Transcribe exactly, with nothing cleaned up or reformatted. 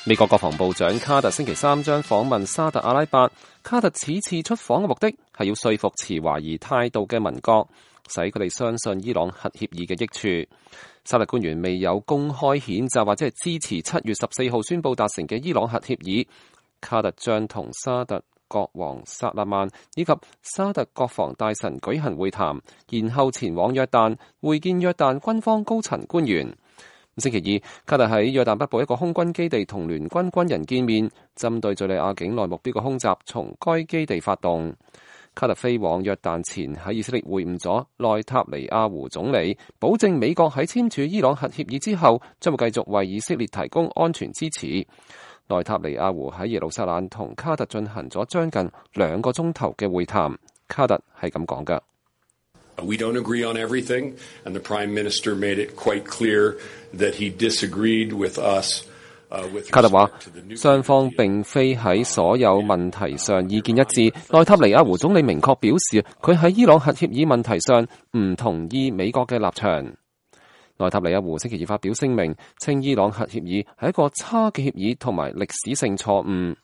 美國國防部長卡特星期三將訪問沙特阿拉伯。卡特此次出訪嘅目的係要說服持懷疑態度嘅盟國，使佢哋相信伊朗核協議嘅益處。沙特官員未有公開譴責或者係支持七月十四號宣布達成嘅伊朗核協議。卡特將同沙特國王薩勒曼以及沙特國防大臣舉行會談，然後前往約旦會見約旦軍方高層官員。星期二，卡特喺約旦北部一個空軍基地同聯軍軍人見面，針對敘利亞境內目標嘅空襲從該基地發動。卡特飛往約旦前喺以色列會晤咗內塔尼亞胡總理，保證美國喺簽署伊朗核協議之後，將會繼續為以色列提供安全支持。內塔尼亞胡喺耶路撒冷同卡特進行咗將近兩個鐘頭嘅會談。卡特係咁講㗎。We don't agree on everything, and the Prime Minister made it quite clear that he disagreed with us. 卡特話，雙方並非喺所有問題上意見一致。內塔尼亞胡總理明確表示，佢喺伊朗核協議問題上唔同意美國嘅立場。內塔尼亞胡星期二發表聲明，稱伊朗核協議係一個差嘅協議同埋歷史性錯誤。